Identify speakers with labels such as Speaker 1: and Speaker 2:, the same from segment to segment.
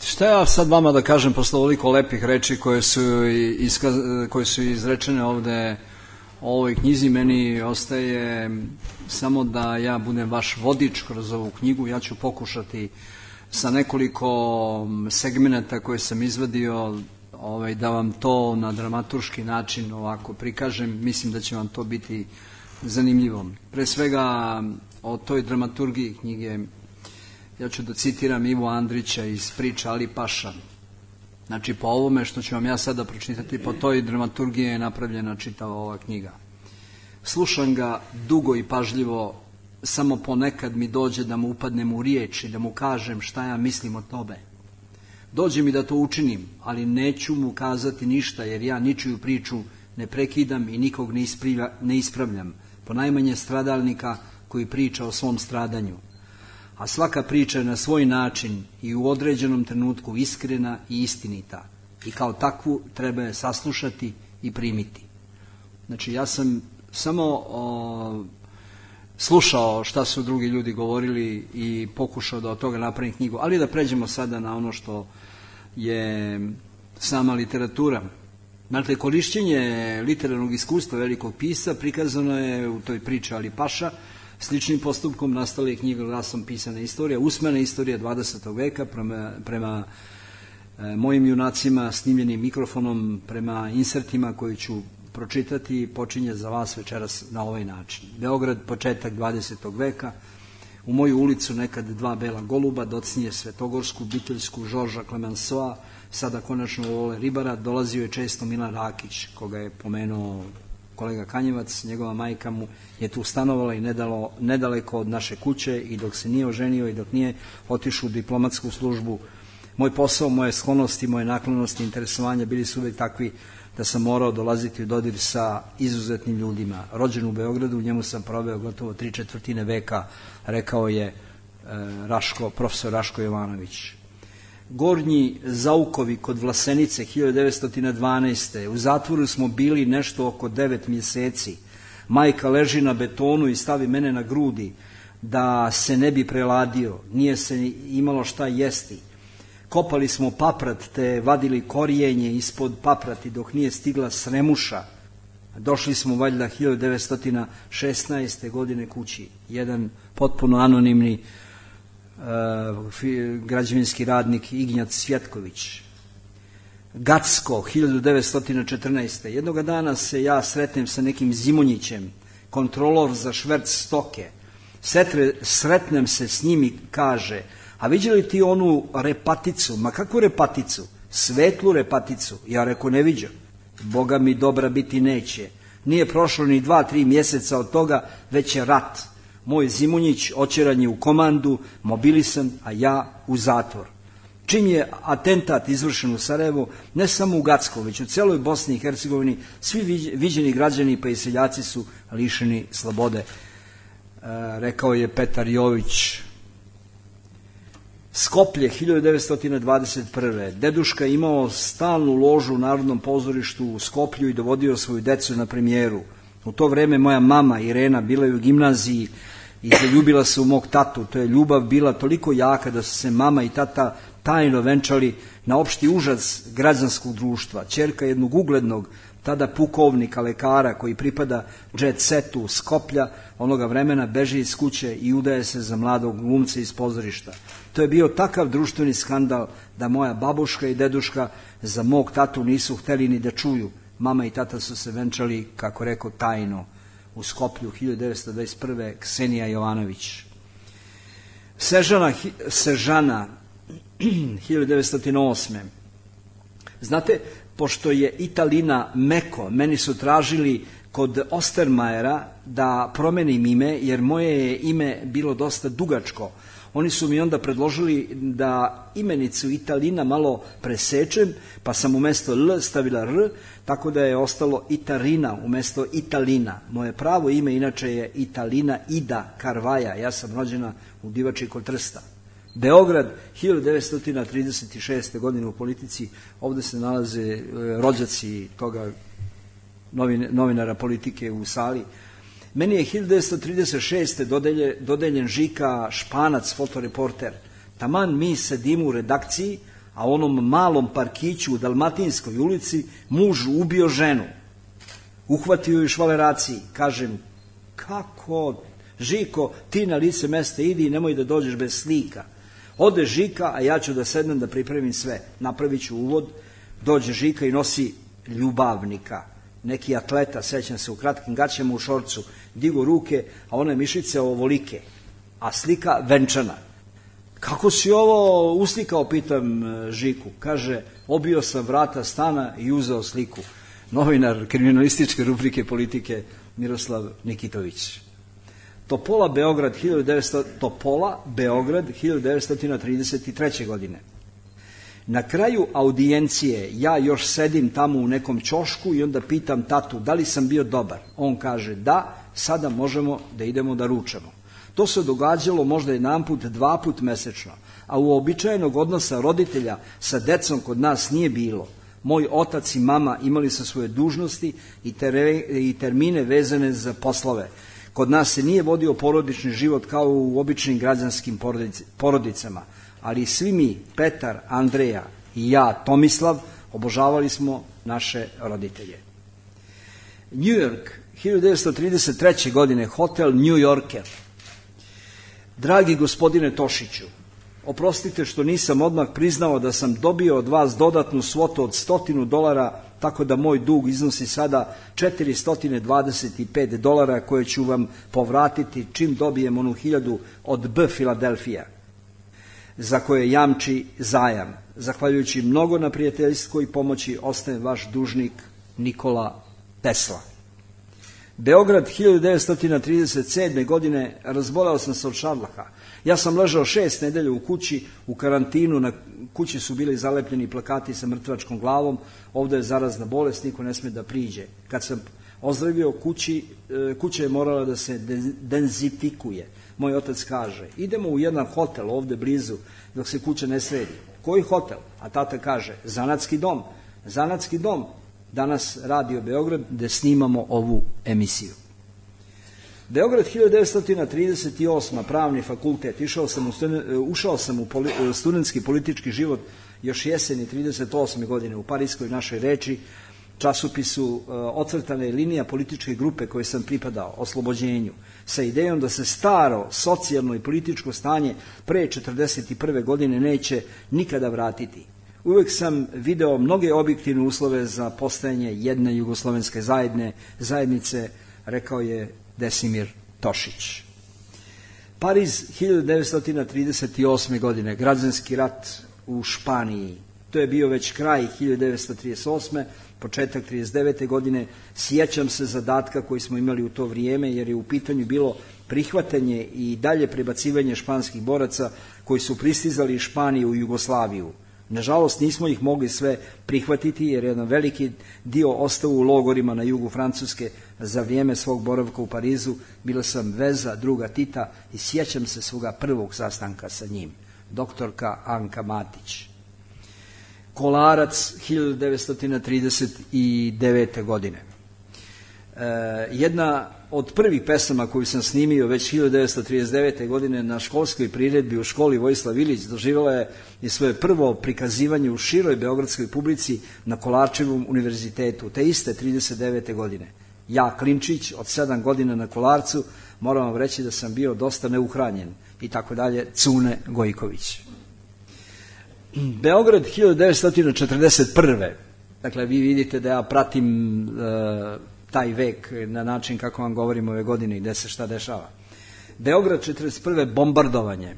Speaker 1: Šta ja sad vama da kažem posle ovoliko lepih reči koje su izrečene ovde o ovoj knjizi? Meni ostaje samo da ja budem vaš vodič kroz ovu knjigu. Ja ću pokušati sa nekoliko segmenata koje sam izvadio da vam to na dramaturški način ovako prikažem. Mislim da će vam to biti zanimljivo. Pre svega o toj dramaturgiji knjige ja ću da citiram Ivo Andrića iz Priča Ali Paša. Znači, po ovome što ću vam ja sada pročitati, po toj dramaturgiji je napravljena čitava ova knjiga. Slušam ga dugo i pažljivo, samo ponekad mi dođe da mu upadnem u riječ i da mu kažem šta ja mislim o tome. Dođe mi da to učinim, ali neću mu kazati ništa, jer ja ničiju priču ne prekidam i nikog ne ispravljam, ponajmanje stradalnika koji priča o svom stradanju. A svaka priča je na svoj način i u određenom trenutku iskrena i istinita i kao takvu treba je saslušati i primiti. Znači, ja sam samo slušao šta su drugi ljudi govorili i pokušao da od toga napravim knjigu, ali da pređemo sada na ono što je sama literatura. Dakle, korišćenje literarnog iskustva velikog pisca prikazano je u toj Priči Ali Paša. Sličnim postupkom nastala je knjiga glasom pisana istorija, usmena istorija 20. veka prema mojim junacima snimljenim mikrofonom, prema insertima koji ću pročitati, počinje za vas večeras na ovaj način. Beograd, početak 20. veka, u moju ulicu nekad dva bela goluba, docnije Svetogorsku, Biteljsku, Žorža Klemensoa, sada konačno Vole Ribara, dolazio je često Milan Rakić, koga je pomenuo kolega Kanjevac, njegova majka mu je tu stanovala i nedaleko od naše kuće i dok se nije oženio i dok nije otišao u diplomatsku službu. Moj posao, moje sklonosti, moje naklonosti, interesovanja bili su uvek takvi da sam morao dolaziti u dodir sa izuzetnim ljudima. Rođen u Beogradu, u njemu sam proveo gotovo 3/4 veka, rekao je profesor Raško Jovanović. Gornji Zaukovi kod Vlasenice 1912. U zatvoru smo bili nešto oko 9 mjeseci. Majka leži na betonu i stavi mene na grudi da se ne bi preladio. Nije se imalo šta jesti. Kopali smo paprat te vadili korijenje ispod paprati dok nije stigla sremuša. Došli smo valjda 1916. godine kući. Jedan potpuno anonimni građevinski radnik Ignjac Svjetković. Gacko 1914. Jednoga dana se ja sretnem sa nekim Zimonjićem, kontrolor za šverc stoke. Sretnem se s njim i kaže: a viđeli ti onu repaticu? Ma kakvu repaticu? Svetlu repaticu. Ja reko, ne viđam. Boga mi dobra biti neće. Nije prošlo ni 2-3 mjeseca od toga, već je rat. Moj Zimonjić oćeran je u komandu, mobilisan, a ja u zatvor. Čim je atentat izvršen u Sarajevu, ne samo u Gacku, već u celoj Bosni i Hercegovini, svi viđeni građani pa i seljaci su lišeni slobode, rekao je Petar Jović. Skoplje 1921. Deduška imao stalnu ložu u Narodnom pozorištu u Skoplju i dovodio svoju decu na premijeru. U to vreme moja mama Irena bila je u gimnaziji i zaljubila se u mog tatu. To je ljubav bila toliko jaka da su se mama i tata tajno venčali na opšti užas građanskog društva. Ćerka jednog uglednog, tada pukovnika, lekara koji pripada jet setu Skoplja, onoga vremena beži iz kuće i udaje se za mladog glumca iz pozorišta. To je bio takav društveni skandal da moja babuška i deduška za mog tatu nisu hteli ni da čuju. Mama i tata su se venčali, kako rekao, tajno u Skoplju 1921. Ksenija Jovanović. Sežana 1908. Znate, pošto je Italina Meko, meni su tražili kod Ostermajera da promenim ime, jer moje je ime bilo dosta dugačko. Oni su mi onda predložili da imenicu Italina malo presečem, pa sam umesto L stavila R, tako da je ostalo Itarina umesto Italina. Moje pravo ime inače je Italina Ida Karvaja, ja sam rođena u Divači kod Trsta. Beograd 1936. godine u politici, ovde se nalaze rođaci toga novinara politike u sali. Meni je 1936. dodeljen Žika Španac, fotoreporter. Taman mi sedimo u redakciji, a u onom malom parkiću u Dalmatinskoj ulici muž ubio ženu. Uhvatio ju u švaleraciji. Kažem, kako? Žiko, ti na lice mesta idi i nemoj da dođeš bez slika. Ode Žika, a ja ću da sednem da pripremim sve. Napravit ću uvod, dođe Žika i nosi ljubavnika. Neki atleta, sećam se, u kratkim gaćama u šorcu, digu ruke, a one mišice ovolike, a slika venčana. Kako si ovo uslikao, pitam Žiku. Kaže, obio sam vrata stana i uzeo sliku. Novinar kriminalističke rubrike Politike Miroslav Nikitović. Topola, Beograd, 1933. godine. Na kraju audijencije ja još sedim tamo u nekom ćošku i onda pitam tatu da li sam bio dobar. On kaže da, sada možemo da idemo da ručamo. To se događalo možda jedanput, 2 puta mesečno, a uobičajenog odnosa roditelja sa decom kod nas nije bilo. Moj otac i mama imali su svoje dužnosti i termine vezane za poslove. Kod nas se nije vodio porodični život kao u običnim građanskim porodicama, ali svi mi, Petar, Andreja i ja, Tomislav, obožavali smo naše roditelje. New York, 1933. godine, hotel New Yorker. Dragi gospodine Tošiću, oprostite što nisam odmah priznao da sam dobio od vas dodatnu svotu od $100, tako da moj dug iznosi sada $425 koje ću vam povratiti čim dobijem onu 1000 od B. Filadelfija, za koje jamči zajam. Zahvaljujući mnogo na prijateljskoj pomoći ostaje vaš dužnik Nikola Tesla. Beograd, 1937. godine, razboleo sam se od šarlaha. Ja sam ležao 6 nedelja u kući, u karantinu, na kući su bili zalepljeni plakati sa mrtvačkom glavom, ovdje je zarazna bolest, niko ne sme da priđe. Kad sam ozdravio kuća je morala da se denzifikuje. Moj otac kaže, idemo u jedan hotel ovdje blizu, dok se kuća ne sredi. Koji hotel? A tata kaže, Zanatski dom. Zanatski dom. Danas Radio Beograd, gde snimamo ovu emisiju. Beograd, 1938. pravni fakultet. Ušao sam u studentski politički život još jeseni 38. godine u Parijskoj našoj reči, časopisu ocrtana je linija političke grupe koje sam pripadao, Oslobođenju, sa idejom da se staro socijalno i političko stanje pre 1941. godine neće nikada vratiti. Uvek sam video mnoge objektivne uslove za postojanje jedne jugoslovenske zajednice, rekao je Desimir Tošić. Pariz, 1938. godine, građanski rat u Španiji. To je bio već kraj 1938. početak 1939. godine. Sjećam se zadatka koji smo imali u to vrijeme, jer je u pitanju bilo prihvatanje i dalje prebacivanje španskih boraca koji su pristizali iz Španije u Jugoslaviju. Nažalost, nismo ih mogli sve prihvatiti, jer je jedan veliki dio ostao u logorima na jugu Francuske. Za vrijeme svog boravka u Parizu bila sam veza druga Tita i sjećam se svoga prvog sastanka sa njim, doktorka Anka Matić. Kolarac, 1939. godine. Jedna od prvih pesama koju sam snimio već 1939. godine na školskoj priredbi u školi Vojislav Ilić doživjela je i svoje prvo prikazivanje u široj beogradskoj publici na Kolarčevom univerzitetu, te iste 1939. godine. Ja, klinčić, od 7 godina na Kolarcu, moram vam reći da sam bio dosta neuhranjen i tako dalje, Cune Gojković. Beograd, 1941. Dakle, vi vidite da ja pratim taj vek na način kako vam govorim ove godine i gde se šta dešava. Beograd, 1941. bombardovanje.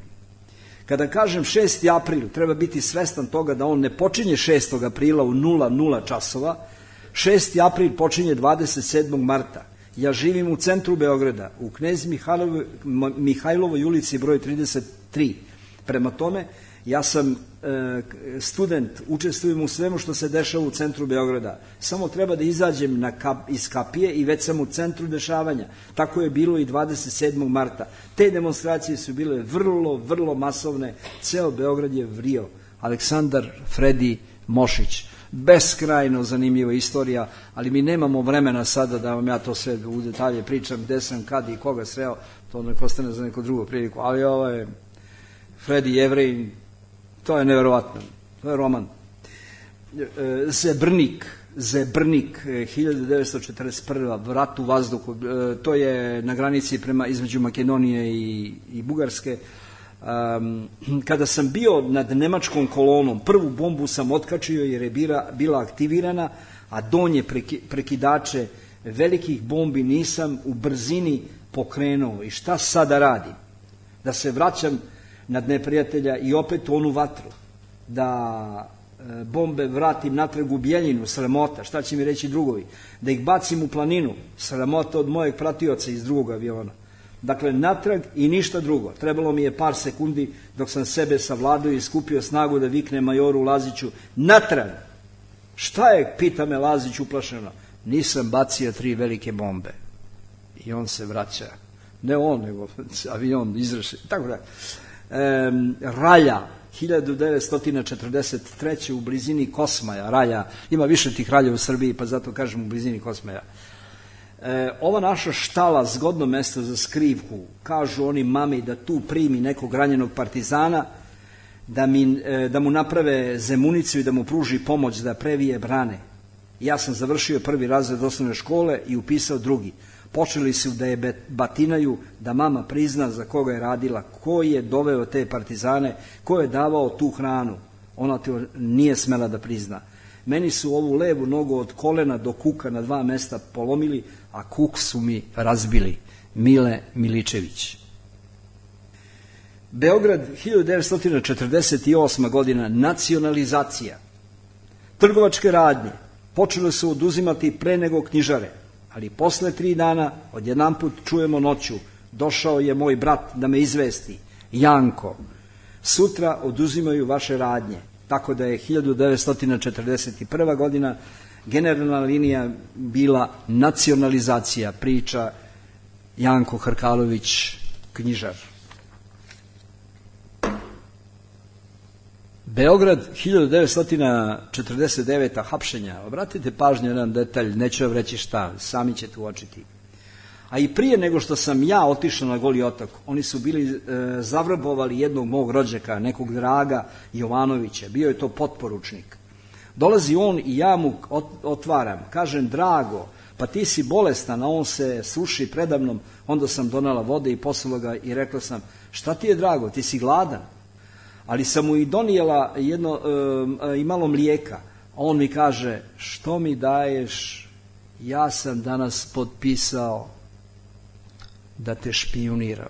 Speaker 1: Kada kažem 6. april, treba biti svestan toga da on ne počinje 6. aprila u 00 časova. 6. april počinje 27. marta. Ja živim u centru Beograda, u Knez Mihajlovoj ulici broj 33. Prema tome, ja sam student, učestvujem u svemu što se dešava u centru Beograda. Samo treba da izađem iz kapije i već sam u centru dešavanja. Tako je bilo i 27. marta. Te demonstracije su bile vrlo, vrlo masovne. Ceo Beograd je vrio. Aleksandar Fredi Mošić. Beskrajno zanimljiva istorija, ali mi nemamo vremena sada da vam ja to sve u detalje pričam, gde sam, kad i koga sreo, to nek ostane za neku drugu priliku. Ali ovo je Fredi Jevrej, to je neverovatno. To je roman. Zebrnik, 1941. Vrat u vazduhu, to je na granici između Makedonije i Bugarske. Kada sam bio nad nemačkom kolonom, prvu bombu sam otkačio jer je bila aktivirana, a donje prekidače velikih bombi nisam u brzini pokrenuo. I šta sada radim? Da se vraćam nad neprijatelja i opet u onu vatru, da bombe vratim natrag u Bijeljinu, sramota, šta će mi reći drugovi, da ih bacim u planinu, sramota od mojeg pratioca iz drugog aviona. Dakle, natrag i ništa drugo. Trebalo mi je par sekundi dok sam sebe savladao i skupio snagu da vikne majoru Laziću, natrag! Šta je, pita me Lazić uplašeno? Nisam bacio 3 velike bombe. I on se vraća. Ne on, nego avion izraše. Tako da. Ralja, 1943. u blizini Kosmaja. Ralja, ima više tih ralja u Srbiji, pa zato kažem u blizini Kosmaja. Ova naša štala, zgodno mesto za skrivku, kažu oni mami da tu primi nekog ranjenog partizana, da mu naprave zemunicu i da mu pruži pomoć da previje brane. Ja sam završio 1. razred osnovne škole i upisao 2. Počeli su da je batinaju, da mama prizna za koga je radila, ko je doveo te partizane, ko je davao tu hranu. Ona to nije smela da prizna. Meni su ovu levu nogu od kolena do kuka na 2 mesta polomili, a kuk su mi razbili. Mile Miličević. Beograd, 1948. godina, nacionalizacija. Trgovačke radnje počele su oduzimati pre nego knjižare, ali posle 3 dana odjedanput čujemo noću, došao je moj brat da me izvesti, Janko, sutra oduzimaju vaše radnje. Tako da je 1941. godina generalna linija bila nacionalizacija, priča Janko Hrkalović, knjižar. Beograd, 1949. hapšenja. Obratite pažnju na jedan detalj, neću vam reći šta, sami ćete uočiti. A i prije nego što sam ja otišao na Goli otok, oni su bili zavrabovali jednog mog rođaka, nekog Draga Jovanovića, bio je to potporučnik. Dolazi on i ja mu otvaram, kažem, Drago, pa ti si bolestan, a on se suši predamnom, onda sam donela vode i poslala ga i rekla sam, šta ti je, Drago, ti si gladan? Ali sam mu i donijela i malo mlijeka, a on mi kaže, što mi daješ, ja sam danas potpisao da te špijuniram.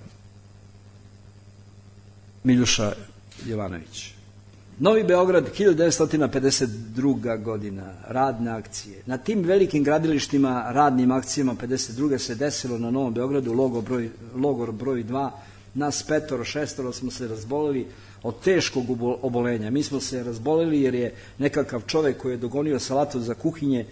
Speaker 1: Miljuša Jovanović. Novi Beograd, 1952. godina, radne akcije. Na tim velikim gradilištima, radnim akcijama 52. se desilo na Novom Beogradu logor broj 2, nas 5-6 smo se razboleli od teškog obolenja. Mi smo se razboleli jer je nekakav čovek koji je dogonio salatu za kuhinje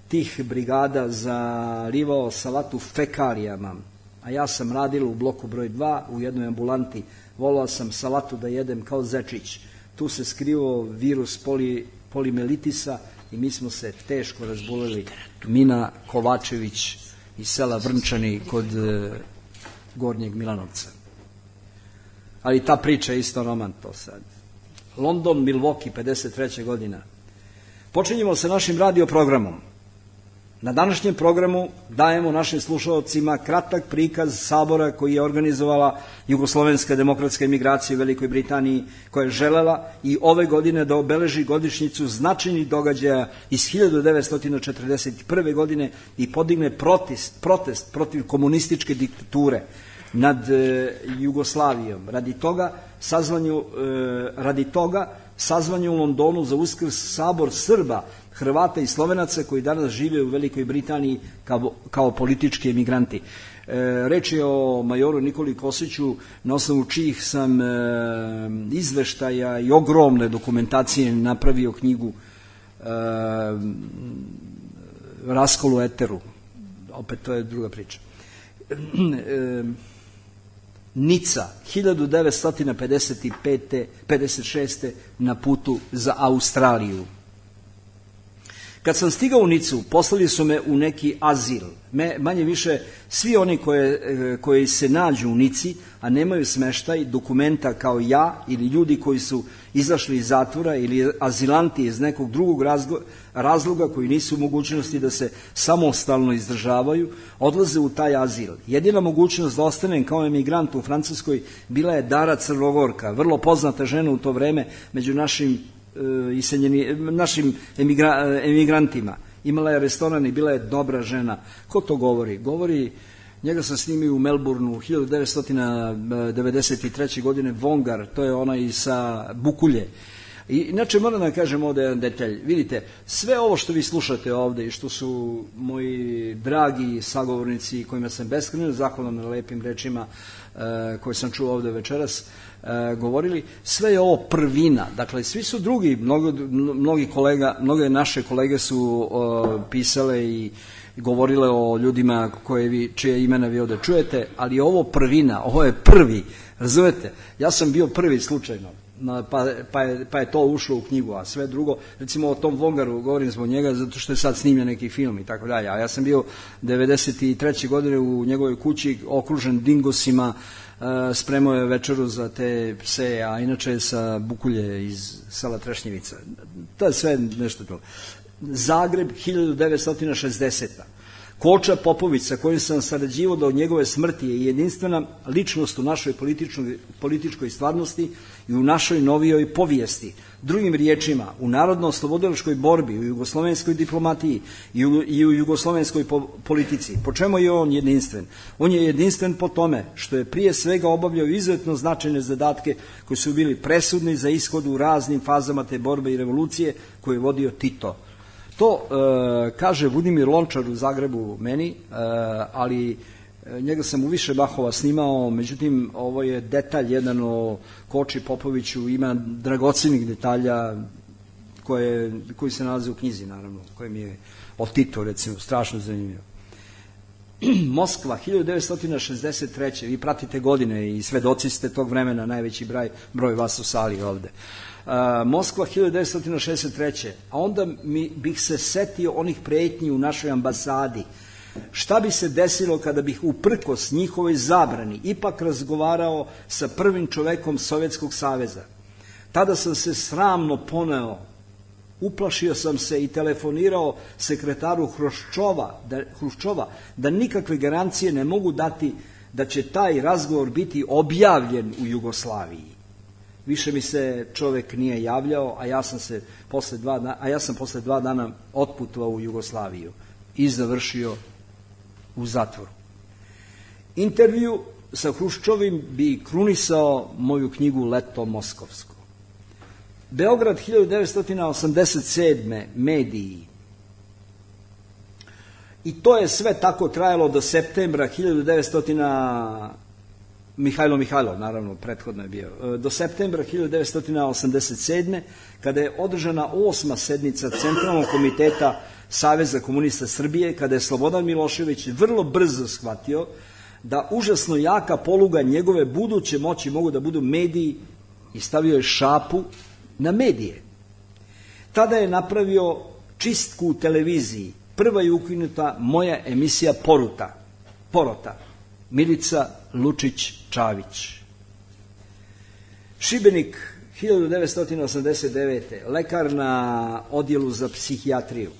Speaker 1: tih brigada zalivao salatu fekalijama. A ja sam radila u bloku broj 2 u jednoj ambulanti. Volao sam salatu da jedem kao zečić. Tu se skrivao virus polimelitisa i mi smo se teško razboleli. Mina Kovačević iz sela Vrnčani kod Gornjeg Milanovca. Ali ta priča je isto roman to sad. London, Milwaukee, 53. godina. Počinjemo sa našim radio programom. Na današnjem programu dajemo našim slušalcima kratak prikaz sabora koji je organizovala Jugoslovenska demokratska emigracija u Velikoj Britaniji, koja je želela i ove godine da obeleži godišnjicu značajnih događaja iz 1941. godine i podigne protest protiv komunističke diktature nad Jugoslavijom. Radi toga sazvanje u Londonu za Uskrs sabor Srba, Hrvata i Slovenaca koji danas žive u Velikoj Britaniji kao politički emigranti. Reč je o majoru Nikoli Kosiću, na osnovu čijih sam izveštaja i ogromne dokumentacije napravio knjigu Raskol u eteru. Opet to je druga priča. Nica, 1955. 56. na putu za Australiju. Kad sam stigao u Nicu, poslali su me u neki azil. Manje više, svi oni koji se nađu u Nici, a nemaju smeštaj, dokumenta kao ja, ili ljudi koji su izašli iz zatvora, ili azilanti iz nekog drugog razloga koji nisu u mogućnosti da se samostalno izdržavaju, odlaze u taj azil. Jedina mogućnost da ostanem kao emigrant u Francuskoj bila je Dara Crnogorka, vrlo poznata žena u to vreme među našim emigrantima. Imala je restoran i bila je dobra žena. Ko to govori? Govori, njega sam snimio u Melbourneu 1993. godine, Vongar, to je onaj sa Bukulje. I inače moram da kažem ovde jedan detalj. Vidite, sve ovo što vi slušate ovde i što su moji dragi sagovornici kojima sam beskrajno zahvalan na lepim rečima koje sam čuo ovde večeras, govorili, sve je ovo prvina. Dakle, svi su drugi, mnoge naše kolege su pisale i govorile o ljudima čije imena vi ovde čujete, ali ovo prvina, ovo je prvi, razumete? Ja sam bio prvi slučajno, pa je to ušlo u knjigu, a sve drugo, recimo o tom Vongaru, govorim zbog njega zato što je sad snimljen neki film i tako dalje, a ja sam bio 93. godine u njegovoj kući okružen dingosima, spremao je večeru za te pse, a inače je sa Bukulje iz sela Trešnjevica. To je sve nešto to. Zagreb 1960. Koča Popović, sa kojim sam sarađivao do njegove smrti, je jedinstvena ličnost u našoj političkoj stvarnosti i u našoj novijoj povijesti. Drugim riječima, u narodno-oslobodilačkoj borbi, u jugoslovenskoj diplomatiji i u jugoslovenskoj politici. Po čemu je on jedinstven? On je jedinstven po tome što je prije svega obavljao izuzetno značajne zadatke koji su bili presudni za ishod u raznim fazama te borbe i revolucije koje je vodio Tito. To kaže Budimir Lončar u Zagrebu meni, ali njega sam u više bahova snimao, međutim ovo je detalj jedan o Koči Popoviću, ima dragocenih detalja koji se nalaze u knjizi, naravno, koje mi je o Titu, recimo, strašno zanimljivo. Moskva, 1963. Vi pratite godine i svedoci ste tog vremena, najveći broj vas u sali ovde. Moskva 1963. A onda bih se setio onih pretnji u našoj ambasadi. Šta bi se desilo kada bih uprkos njihovoj zabrani ipak razgovarao sa prvim čovekom Sovjetskog saveza? Tada sam se sramno poneo, uplašio sam se i telefonirao sekretaru Hruščova da nikakve garancije ne mogu dati da će taj razgovor biti objavljen u Jugoslaviji. Više mi se čovek nije javljao, a ja sam posle 2 dana otputovao u Jugoslaviju i završio u zatvoru. Intervju sa Hruščovim bi krunisao moju knjigu Leto moskovsko. Beograd 1987. mediji. I to je sve tako trajalo do septembra 1900. Mihajlov, naravno, prethodno je bio. Do septembra 1987. kada je održana 8. sednica Centralnog komiteta Saveza komunista Srbije, kada je Slobodan Milošević vrlo brzo shvatio da užasno jaka poluga njegove buduće moći mogu da budu mediji i stavio je šapu na medije. Tada je napravio čistku u televiziji. Prva je ukinuta moja emisija Porota. Milica Lučić-Čavić. Šibenik 1989. Lekar na odjelu za psihijatriju.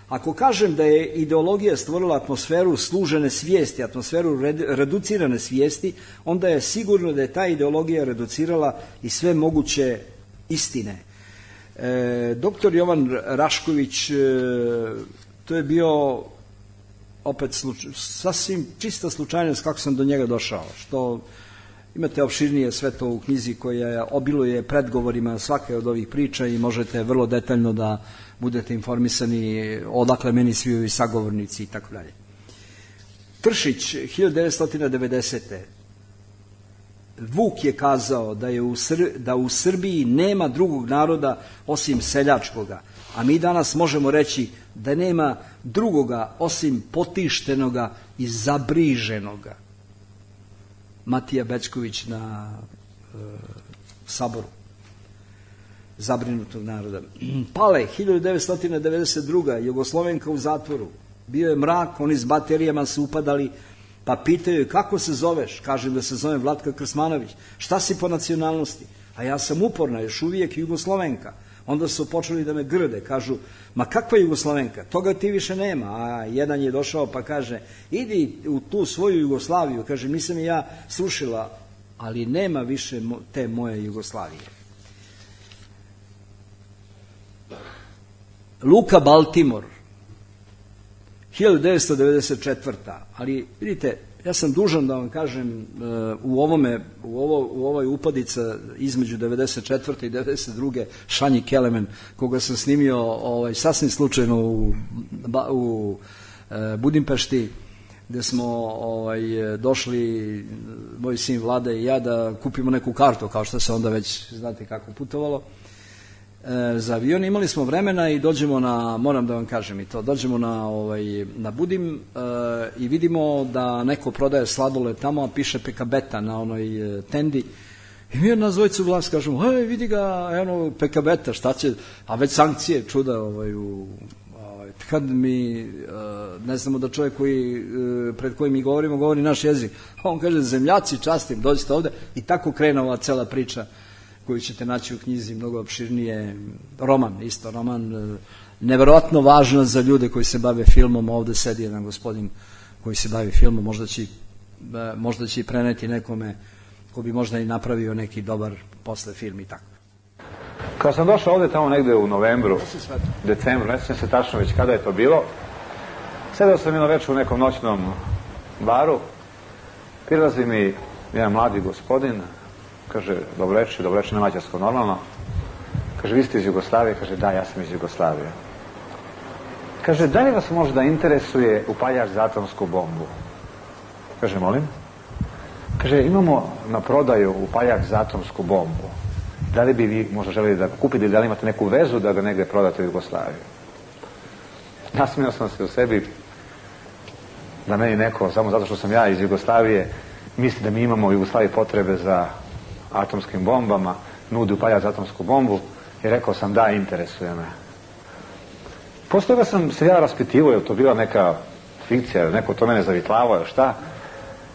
Speaker 1: Ako kažem da je ideologija stvorila atmosferu služene svijesti, atmosferu reducirane svijesti, onda je sigurno da je ta ideologija reducirala i sve moguće istine. Doktor Jovan Rašković, to je bio opet sasvim čista slučajnost kako sam do njega došao, što imate opširnije sve to u knjizi koja obiluje predgovorima svake od ovih priča i možete vrlo detaljno da budete informisani odakle meni svi ovi sagovornici i tako dalje. Tršić, 1990. Vuk je kazao da u Srbiji nema drugog naroda osim seljačkoga, a mi danas možemo reći da nema drugoga osim potištenoga i zabriženoga. Matija Bećković na Saboru. zabrinutog naroda. Pale, 1992. Jugoslovenka u zatvoru. Bio je mrak, oni s baterijama su upadali, pa pitaju kako se zoveš? Kažem da se zovem Vlatka Krsmanović. Šta si po nacionalnosti? A ja sam uporna, još uvijek Jugoslovenka. Onda su počeli da me grde, kažu, ma kakva Jugoslovenka? Toga ti više nema. A jedan je došao pa kaže, idi u tu svoju Jugoslaviju. Kaže, nisam je ja srušila, ali nema više te moje Jugoslavije. Luka Baltimore, 1994. Ali vidite, ja sam dužan da vam kažem u ovoj upadica između 94. i 92. Šanji Kelemen, koga sam snimio sasvim slučajno u Budimpešti, gde smo došli, moj sin Vlada i ja, da kupimo neku kartu, kao što se onda već, znate kako, putovalo za avion. Imali smo vremena i dođemo na, moram da vam kažem i to, dođemo na Budim i vidimo da neko prodaje sladoled tamo, a piše Pekabeta na onoj tendi. I mi nas dvojicu glas kažemo, hej, vidi ga, eno, Pekabeta, šta će, a već sankcije, čuda, kad mi ne znamo da čovjek pred kojim mi govorimo, govori naš jezik. A on kaže, zemljaci, častim, dođite ovde. I tako krene ova cela priča koju ćete naći u knjizi, mnogo opširnije. Roman, neverovatno važno za ljude koji se bave filmom. Ovde sedi jedan gospodin koji se bavi filmom, možda će i preneti nekome ko bi možda i napravio neki dobar posle film i tako.
Speaker 2: Kad sam došao ovde tamo negde u novembru, decembru, ne sjećam se tačno već kada je to bilo, sedeo sam jedno večer u nekom noćnom baru, prilazi mi jedan mladi gospodin, kaže, dobreči na mađarskom normalno, kaže, vi ste iz Jugoslavije? Kaže, da, ja sam iz Jugoslavije. Kaže, da li vas možda interesuje upaljač za atomsku bombu? Kaže, molim? Kaže, imamo na prodaju upaljač za atomsku bombu. Da li bi vi možda želeli da kupite, da li imate neku vezu da ga negde prodate u Jugoslaviju? Nasmijao sam se u sebi da meni neko, samo zato što sam ja iz Jugoslavije, misli da mi imamo u Jugoslaviji potrebe za atomskim bombama, nudi upaljač za atomsku bombu, i rekao sam da, interesuje me. Posle toga sam se ja raspitivao, je li to bila neka fikcija, neko to mene zavitlavao, šta?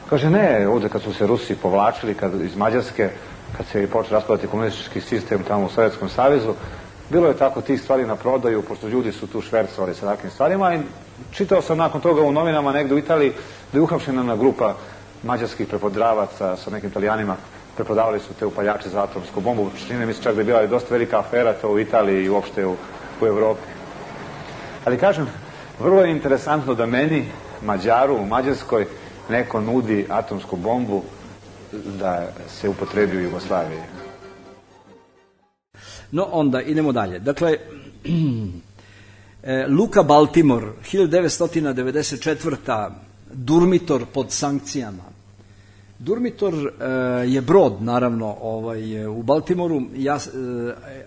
Speaker 2: Kaže, ne, ovde kad su se Rusi povlačili iz Mađarske, kad se je počeo raspadati komunistički sistem tamo u Sovjetskom savezu, bilo je tako tih stvari na prodaju, pošto ljudi su tu švercovali sa takvim stvarima, i čitao sam nakon toga u novinama negde u Italiji da je uhapšena jedna grupa mađarskih prepodravaca sa nekim Italijanima, preprodavali su te upaljače za atomsku bombu. Čini mi se čak da je bila dosta velika afera to u Italiji i uopšte u Evropi. Ali kažem, vrlo je interesantno da meni, Mađaru u Mađarskoj, neko nudi atomsku bombu da se upotrebi u Jugoslaviji.
Speaker 1: No, onda idemo dalje. Dakle, Luka Baltimore, 1994. Durmitor pod sankcijama. Durmitor je brod, naravno, u Baltimoru,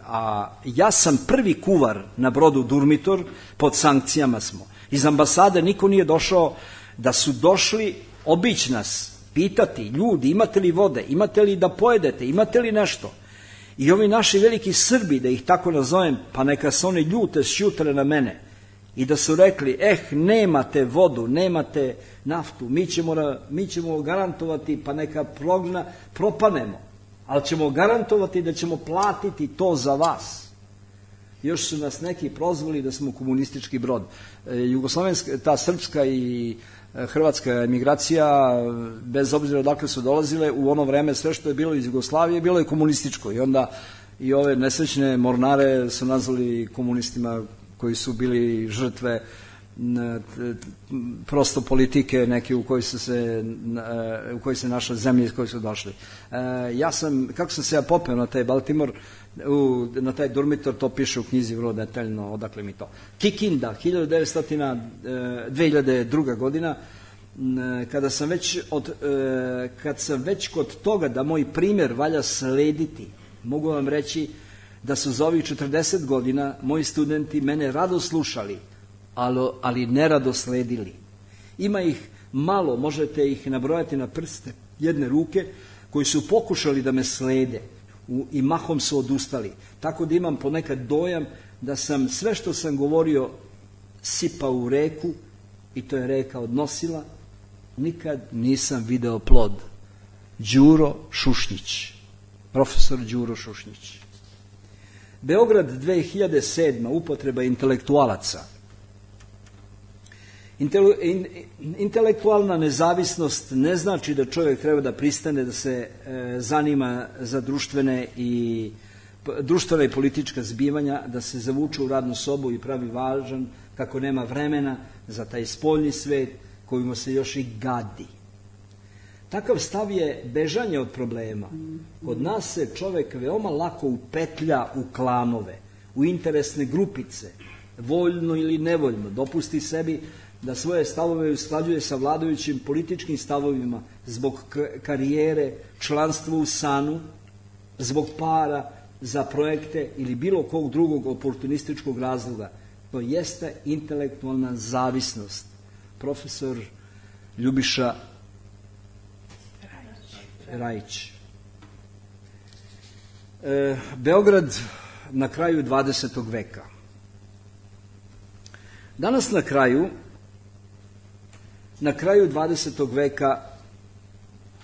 Speaker 1: a ja sam prvi kuvar na brodu Durmitor, pod sankcijama smo. Iz ambasade niko nije došao, da su došli obići nas, pitati, ljudi, imate li vode, imate li da pojedete, imate li nešto? I ovi naši veliki Srbi, da ih tako nazovem, pa neka se oni ljute šjutale na mene, i da su rekli, nemate vodu, nemate naftu, mi ćemo garantovati, pa neka propanemo, ali ćemo garantovati da ćemo platiti to za vas. Još su nas neki prozvali da smo komunistički brod. Jugoslovenska, ta srpska i hrvatska emigracija, bez obzira odakle su dolazile, u ono vreme sve što je bilo iz Jugoslavije bilo je komunističko, i onda i ove nesrećne mornare su nazvali komunistima koji su bili žrtve prosto politike neke u kojoj se naša zemlja iz koje su došli. Kako sam se ja popeo na taj Baltimore, na taj Durmitor, to piše u knjizi vrlo detaljno odakle mi to. Kikinda, 2002. godina, kad sam već kod toga da moj primjer valja slediti, mogu vam reći da su za ovih 40 godina moji studenti mene rado slušali, ali nerado sledili. Ima ih malo, možete ih nabrojati na prste jedne ruke, koji su pokušali da me slede. i mahom su odustali. Tako da imam ponekad dojam da sam sve što sam govorio sipao u reku i to je reka odnosila. Nikad nisam video plod. Đuro Šušnjić, profesor Đuro Šušnjić. Beograd 2007. upotreba intelektualaca. Intelektualna nezavisnost ne znači da čovjek treba da pristane da se zanima za društvena i politička zbivanja, da se zavuče u radnu sobu i pravi važan kako nema vremena za taj spoljni svet kojima se još i gadi. Takav stav je bežanje od problema. Kod nas se čovjek veoma lako upetlja u klanove, u interesne grupice, voljno ili nevoljno, dopusti sebi da svoje stavove usklađuje sa vladajućim političkim stavovima zbog karijere, članstva u SANU, zbog para, za projekte ili bilo kog drugog oportunističkog razloga. To jeste intelektualna zavisnost. Profesor Ljubiša Rajić. Beograd na kraju 20. veka. Danas na kraju 20. veka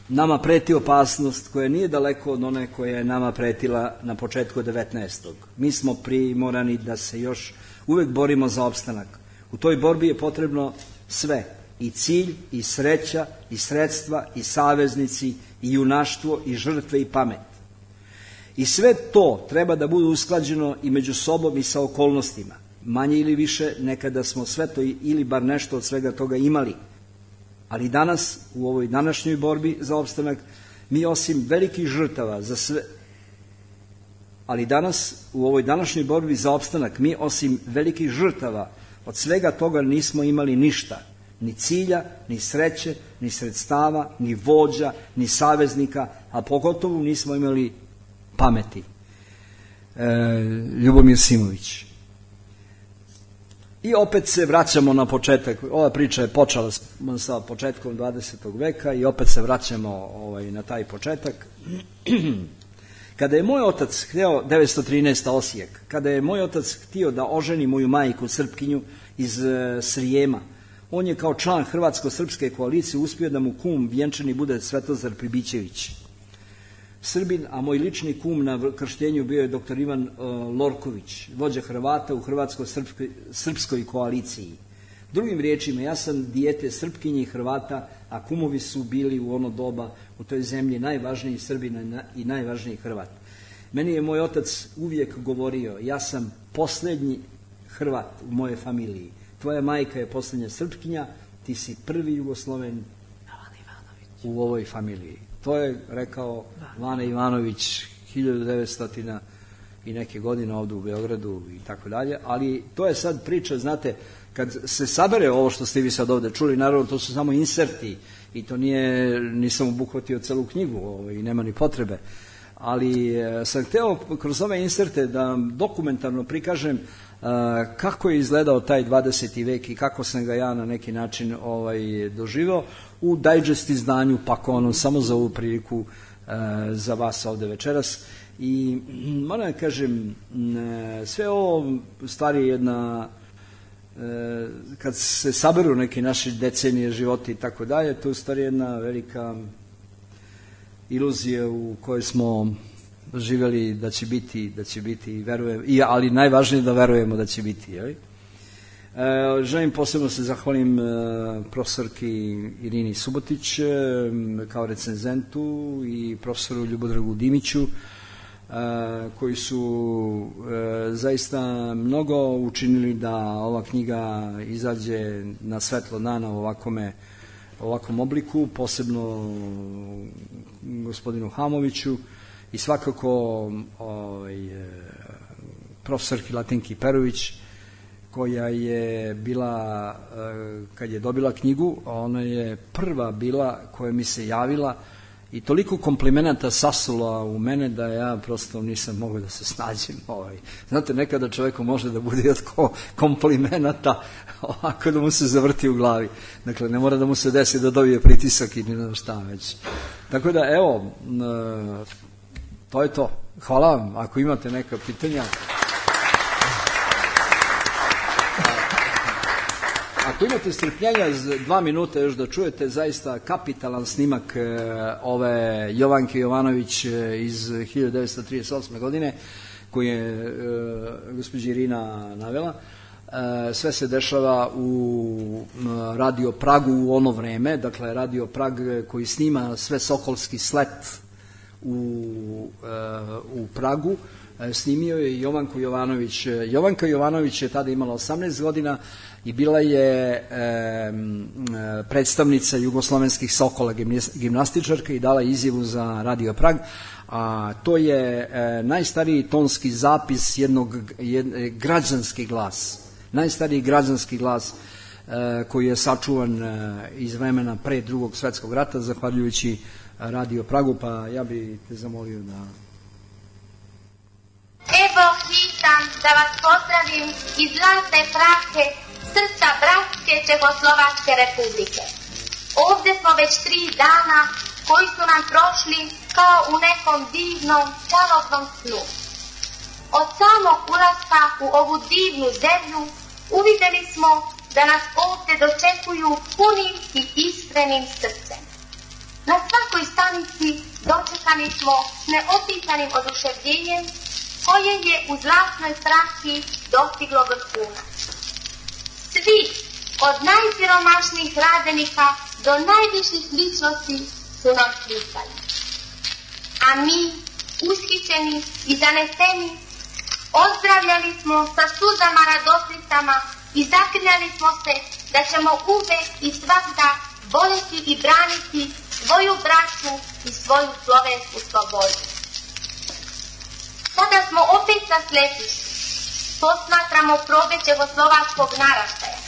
Speaker 1: nama preti opasnost koja nije daleko od one koja je nama pretila na početku 19. Mi smo primorani da se još uvek borimo za opstanak. U toj borbi je potrebno sve, i cilj, i sreća, i sredstva, i saveznici, i junaštvo, i žrtve, i pamet. I sve to treba da bude usklađeno i među sobom i sa okolnostima. Manje ili više, nekada smo sve to ili bar nešto od svega toga imali. Ali danas, u ovoj današnjoj borbi za opstanak, mi osim velikih žrtava za sve... od svega toga nismo imali ništa. Ni cilja, ni sreće, ni sredstava, ni vođa, ni saveznika, a pogotovo nismo imali pameti. Ljubomir Simović. I opet se vraćamo na početak. Ova priča je počela sa početkom 20. veka i opet se vraćamo na taj početak. Kada je moj otac hteo, 913. Osijek, kada je moj otac htio da oženi moju majku Srpkinju iz Srijema, on je kao član Hrvatsko-srpske koalicije uspio da mu kum vjenčani bude Svetozar Pribićević, Srbin, a moj lični kum na krštenju bio je dr. Ivan Lorković, vođa Hrvata u Hrvatsko-srpskoj koaliciji. Drugim riječima, ja sam dijete Srpkinje i Hrvata, a kumovi su bili u ono doba u toj zemlji najvažniji Srbina i najvažniji Hrvat. Meni je moj otac uvijek govorio, ja sam posljednji Hrvat u moje familiji. Tvoja majka je posljednja Srpkinja, ti si prvi Jugosloven u ovoj familiji. To je rekao Vane Ivanović 1900 i neke godine ovdje u Beogradu i tako dalje, ali to je sad priča, znate, kad se sabere ovo što ste vi sad ovdje čuli, naravno to su samo inserti i to nisam obuhvatio celu knjigu i nema ni potrebe, ali sam hteo kroz ove inserte da dokumentarno prikažem kako je izgledao taj 20. vek i kako sam ga ja na neki način doživao u digest izdanju Pakonom, samo za ovu priliku za vas ovdje večeras. I moram da kažem, sve ovo stvari je jedna, kad se saberu neki naši decenije životi i tako dalje, to je u stvari jedna velika iluzija u kojoj smo živjeli da će biti, verujem, ali najvažnije da verujemo da će biti. Jeli? Želim posebno se zahvalim profesorki Irini Subotić kao recenzentu i profesoru Ljubodragu Dimiću, koji su zaista mnogo učinili da ova knjiga izađe na svetlo dana u ovakvom obliku, posebno gospodinu Hamoviću i svakako profesorki Latinki Perović, koja je bila, kad je dobila knjigu, ona je prva bila koja mi se javila i toliko komplimenata sasula u mene da ja prosto nisam mogao da se snađem. Znate, nekada čovjeku može da bude od komplimenata ovako da mu se zavrti u glavi. Dakle, ne mora da mu se desi da dobije pritisak i ne znam šta već. Tako da, evo, to je to. Hvala vam, ako imate neka pitanja. Ako imate strpljenja 2 minuta još da čujete zaista kapitalan snimak ove Jovanke Jovanović iz 1938. godine, koju je gospođa Irina navela. Sve se dešava u Radio Pragu u ono vreme, dakle Radio Prag koji snima sve Sokolski slet u Pragu, snimio je Jovanku Jovanović. Jovanka Jovanović je tada imala 18 godina i bila je predstavnica jugoslovenskih Sokola, gimnastičarka, i dala izjavu za Radio Prag, a to je najstariji tonski zapis građanski glas, najstariji građanski glas koji je sačuvan iz vremena pre Drugog svetskog rata, zahvaljujući Radio Pragu, pa ja bi te zamolio da...
Speaker 3: Evo hitam da vas pozdravim iz zlatne prake srca bratske Čehoslovačke republike. Ovdje smo već 3 dana koji su nam prošli kao u nekom divnom, čarobnom snu. Od samog ulaska u ovu divnu zemlju uvidjeli smo da nas ovdje dočekuju punim i iskrenim srcem. Na svakoj stanici dočekani smo neopisanim oduševljenjem koje je u zlatnoj praki dostiglo vrhunac. Svi, od najsiromašnijih radenika do najviših ličnosti, su nam slikali. A mi, ushićeni i zaneseni, ozdravljali smo sa suzama radosnicama i zaklinjali smo se da ćemo uvek i svakda voljeti i braniti svoju braću i svoju slovensku slobodu. Sada smo opet na sletištu, posmatramo probe čehoslovačkog naraštaja,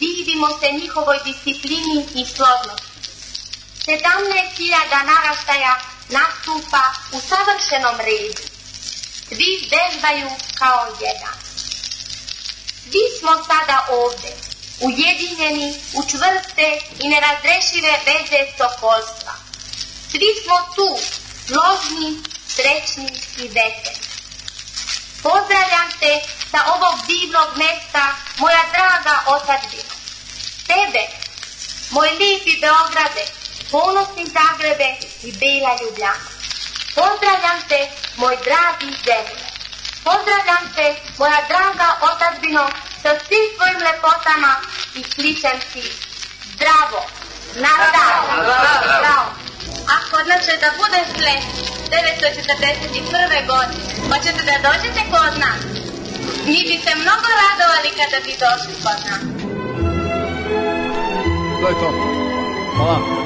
Speaker 3: divimo se njihovoj disciplini i složnosti. 17.000 naraštaja nastupa u savršenom redu, svi vežbaju kao jedan. Svi smo sada ovde, ujedinjeni u čvrste i nerazrešive veze sokolstva. Svi smo tu, složni, srećni i veseli. Pozdravljam te sa ovog divnog mesta, moja draga otadžbino. Tebe, moj lipi Beograde, ponosni Zagrebe i bela Ljubljana. Pozdravljam te, moj dragi zemlje. Pozdravljam te, moja draga otadžbino, sa svim svojim lepotama i kličem ti zdravo, zdravo. A kod nas će da bude sled 941. godine. Hoćete da dođete kod nas? Mi bi se mnogo radovali kada bi došli kod nas.
Speaker 1: To je to. Hvala.